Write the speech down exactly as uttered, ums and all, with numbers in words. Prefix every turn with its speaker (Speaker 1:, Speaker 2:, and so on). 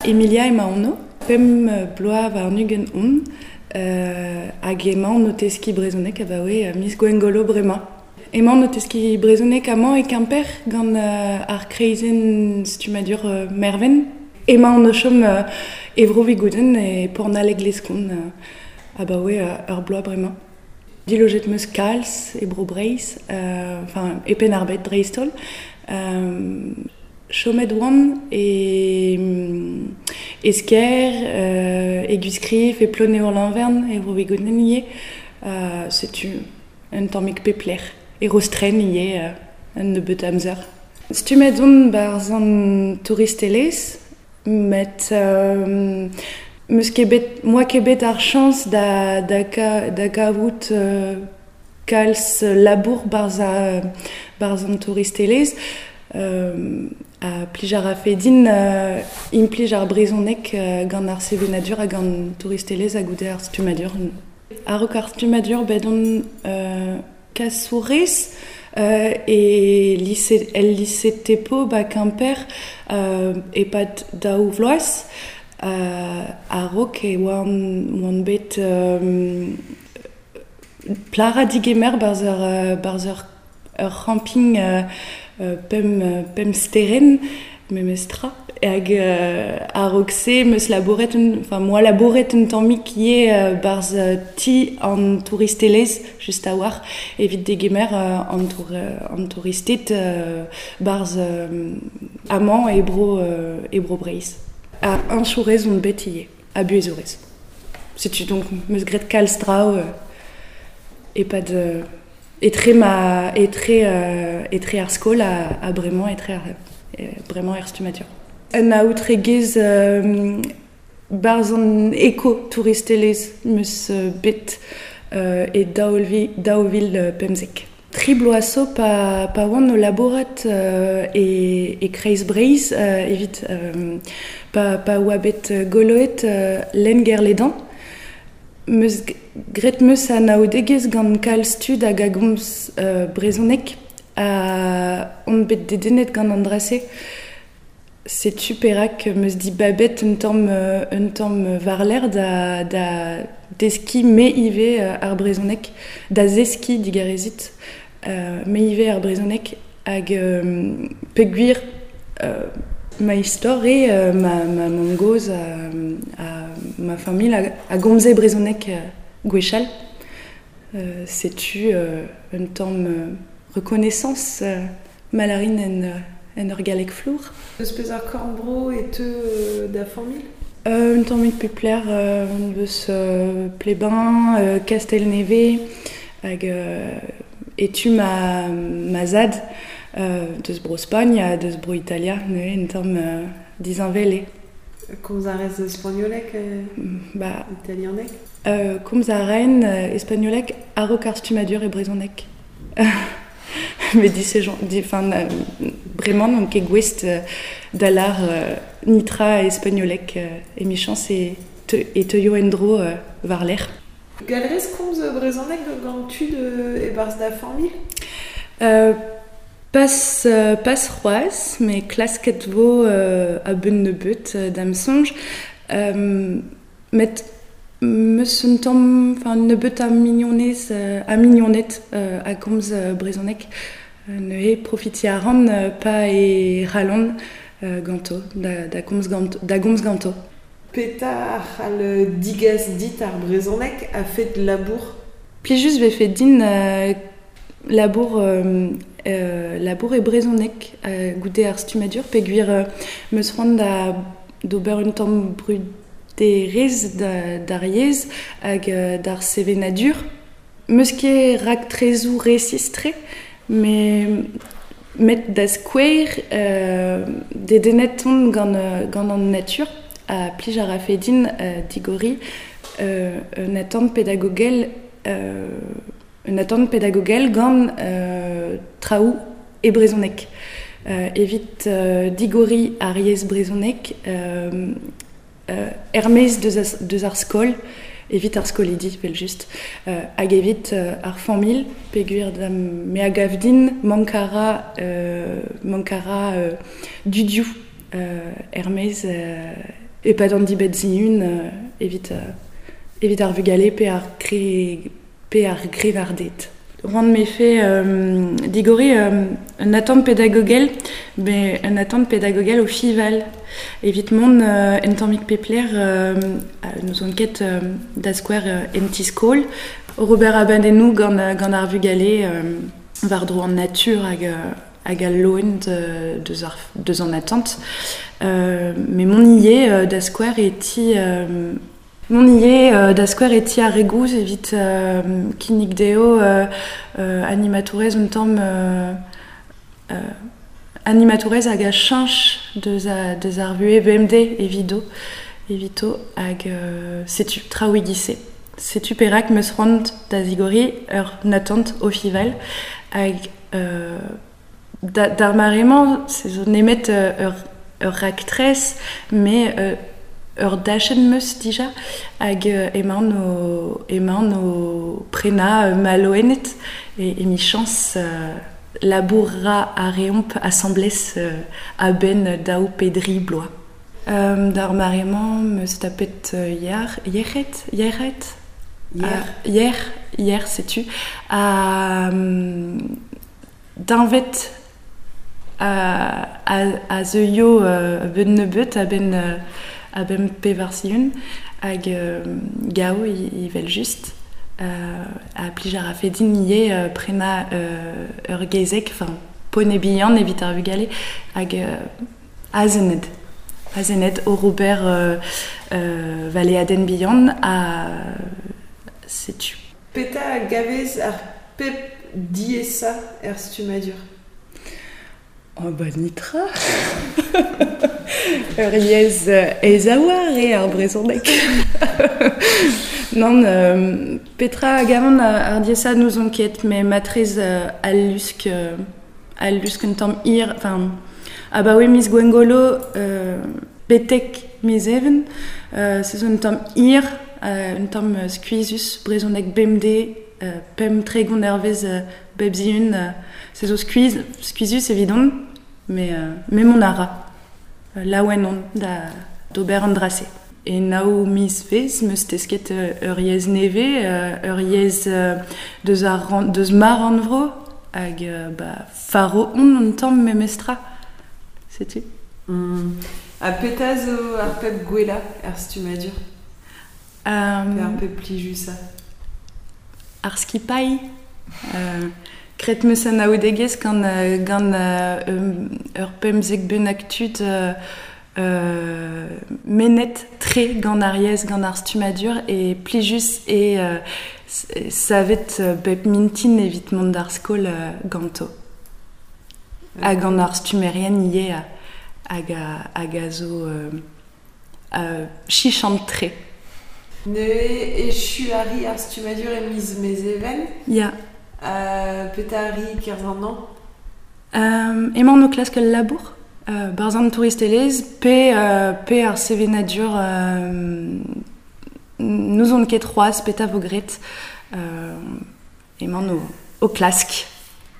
Speaker 1: Emilia emaon o, pemp bloaz warn-ugent on, euh, hag emaon o teskiñ brezhoneg abaoe miz Gwengolo bremañ. Emaon o teskiñ brezhoneg amañ e Kemper gant euh, ar kreizenn stummadur euh, Merven. Emaon o chom euh, e Bro-Vigoudenn e Pornaleg-Leskon euh, abaoe euh, ur bloaz bremañ. Dilojet 'm eus kalz e Bro-Breizh, euh, enfin e Penn-ar-Bed dreist-holl. Euh, chomet oan e, e Skaer, euh, e Gwiskriv, e Ploneour-Lanvern, e Bro-Vigoudenn ivez. Euh, setu un tammig pep lec'h. E Rostren ivez euh, un nebeut amzer. Stummet on 'barzh an touristelezh, met euh, 'm eus ket bet, 'm boa ket bet ar chañs da, da, da gavout euh, kalz labour 'barzh 'barzh an touristelezh. Euh, ha plij a rafe din euh, implij ar brezhoneg euh, gant ar sevenadur hag an touristelezh ha goude ar stummadur. A-raok ar stummadur bet on euh, kasourez euh, e lise, el lise Thépaut ba Kemper euh, e-pad daou vloaz. Euh, a-raok e oan, oan bet euh, plac'h digemer 'barzh ur, 'barzh ur, ur c'hamping euh, pemp, pemp sterenn memestra. Hag euh, a-raok se 'm eus labouret, un, enfin 'm boa labouret un tammig ivez euh, 'barzh ti an touristelezh just a-walc'h evit degemer euh, an, tour, an touristed euh, 'barzh euh, amañ e bro, euh, e bro Breizh. Ha heñchourez on bet ivez, ha buhezourez. Setu donc 'm eus graet kalz traoù euh, e-pad euh, etre ma etre euh, etre ar skol ha, ha bremañ etre ar, bremañ er stummadur. Un aotregezh euh, 'barzh an eko-touristelezh 'm eus bet euh, e daou vil, daou vil pemzek. Tri bloaz zo pa, pa oan o labourat euh, e, e Kreiz Breizh euh, evit euh, pa, pa oa bet goloet euh, lenn Guerlédan. 'M eus graet 'm eus anaoudegezh gant kalz tud hag a gomz euh, brezhoneg ha on bet dedennet gant an dra-se. Setu perak 'm eus dibabet un tamm, un tamm war-lerc'h da, da deskiñ me ivez ar brezhoneg, da zeskiñ digarezit euh, me ivez ar brezhoneg hag euh, peogwir euh, ma istor eo euh, ma, ma mamm-gozh ha, ha ma familh a, a gomze brezhoneg euh, gwechall. Euh, setu euh, un tamm euh, reconnaissance euh, malarin en, euh, en ur galleg flour.
Speaker 2: Eus peseurt korn-bro e teu euh, da familh?
Speaker 1: Euh, un tammig pep lec'h, euh, eus euh, Plebin, euh, Kastel-Nevez, hag euh, e tu ma, ma zad euh, deus bro Spagn ha deus bro Italia, neuze un tamm euh, disheñvel eo.
Speaker 2: Komz a rez spagnoleg, euh,
Speaker 1: Ba,
Speaker 2: italianeg?
Speaker 1: euh, komz a raen euh, espagnoleg a-raok ar stummadur e brezhoneg. Met disejañ, di, enfin, euh, bremañ n'on ket gouest euh, da lâr euh, nitra espagnoleg euh, emichañs e, te, e teuio en-dro euh, war-lerc'h.
Speaker 2: Gall 'rez komz brezhoneg gant tud euh, e-barzh da familh?
Speaker 1: Euh, pas, euh, pas c'hoazh, met klasket vo euh, a-benn nebeut euh, da'm soñj. Euh, met 'm eus un tamm, enfin nebeut a mignonez, euh, a mignoned euh, a gomz euh, brezhoneg. Euh, neuze profitiñ a ran euh, pa e c'hallont euh, ganto, da, da gomz ganto, da gomz ganto.
Speaker 2: Petra a c'hall digas dit ar brezhoneg a-fet labour?
Speaker 1: Plijus 'vefe din euh, labour, euh, euh, labour e brezhoneg euh, goude ar stummadur peogwir euh, 'm eus c'hoant da d'ober un tamm bruderezh da, d'ar yezh hag euh, d'ar sevenadur. 'M eus ket raktresoù resis-tre, met met da skouer euh, dedennet on gant, euh, gant an natur ha plij a rafe din euh, digoriñ euh, un atant pedagogel euh, un atant pedagogel gant euh, traoù e brezhoneg. Euh, evit euh, digoriñ ar yezh brezhoneg euh, euh, er-maez deus, as, deus ar skol, evit ar skolidi, evel-just, euh, hag evit euh, ar familh, peogwir da'm me a gav din mank a ra, euh, mank a ra euh, dudioù euh, er-maez euh, E pad an dibet ziun euh, evit, euh, evit ar vugale pe ar gre, pe ar grevarded. Rand me fait euh, digori euh, un attente pédagogel, mais un attente pédagogel au fival. Evit mont euh, en tammig pepler euh, nous on ket euh, da square euh, en tiskol. Robert Abandenou gant, gant ar vugale euh, war dro an natur hag, hag al loen de, deus, ar, deus an attente. Euh, mais mon ie euh, da square e ti... Euh, Mon ie euh, da square e ti ar regouz evit euh, kinnig deo euh, euh, animatourez un tamm euh, euh, animatourez hag a cheñch deus, a, deus ar vue B M D evido, evito hag euh, setu traouigise. Setu perak meus c'hoant da zigori ur natant o fival hag euh, da, d'ar mare-mañ se zo nemet euh, ur, ur raktres mais euh, ur dachenn meus dija hag euh, emaon o, emaon o prena euh, maloenet e, e michañs euh, labourra a reomp asamblez euh, a-benn daou pedri bloaz. Euh, d'ar mare-mañ meus tapet euh, hier, yec'hed, yec'hed
Speaker 2: Hier.
Speaker 1: Ah, hier, hier, setu. A, um, d'invet a, a, a zeuio euh, ben nebeut a ben, euh, a ben pevar siun hag euh, gao i, i vel just euh, a plij ar a fedin ie euh, prena euh, ur gezek, enfin pone bihan evit ar vugale hag euh, azened. Azened o Robert euh, euh, valeaden bihan a setu.
Speaker 2: Peta gavez ar pep diesa er stumadur.
Speaker 1: Oh ba nitra. Ur yez ez a oar e ar brezhoneg. Non, euh, Petra gavan ar diesa nous on ket, mais matrez euh, al lusk, euh, al lusk un tamm hir, enfin, abaoe miz Gwengolo, euh, betek miz even, euh, se zo un tamm hir, euh, un tamm skuizhus, brezhoneg B M D, euh, pemp tregont hervez, euh, bep zihun, euh, se zo skuizh, skuizhus evidon, mais, euh, mais mon ara. Euh, laouen on da d'ober an drase. E nao miz vez, meus tesket, euh, ur yez neve, euh, ur yez, euh, deus ar ran, deus mar an vro, hag, euh, ba, faro on an tamm memestra. Setu.
Speaker 2: Mm. Ha peta zo ar pep gwella er stumadur?
Speaker 1: Euh,
Speaker 2: Pe ar pep plijusa?
Speaker 1: Ar skipailh. Euh, Kret meus an aoudegez gant, euh, gant, euh, um, ur pemzek bennak tud, euh, euh, menet tre gant ar yez, gant ar stumadur e plijus e, euh, savet, euh, bep mintin evit mont d'ar skol, euh, ganto. Ha gant ar stumerien ie hag a, hag a zo, euh, euh, chichant tre.
Speaker 2: Ne echu ari ar stumadur e miz mezeven?
Speaker 1: Ya.
Speaker 2: Euh, peta ari kerzh an an?
Speaker 1: Euh, emañ o klask al labour. Euh, barzh an touristelezh, pe, euh, pe ar sevenadur, euh, nous on ket c'hoazh, peta vo gret. Euh, emañ o, o klask.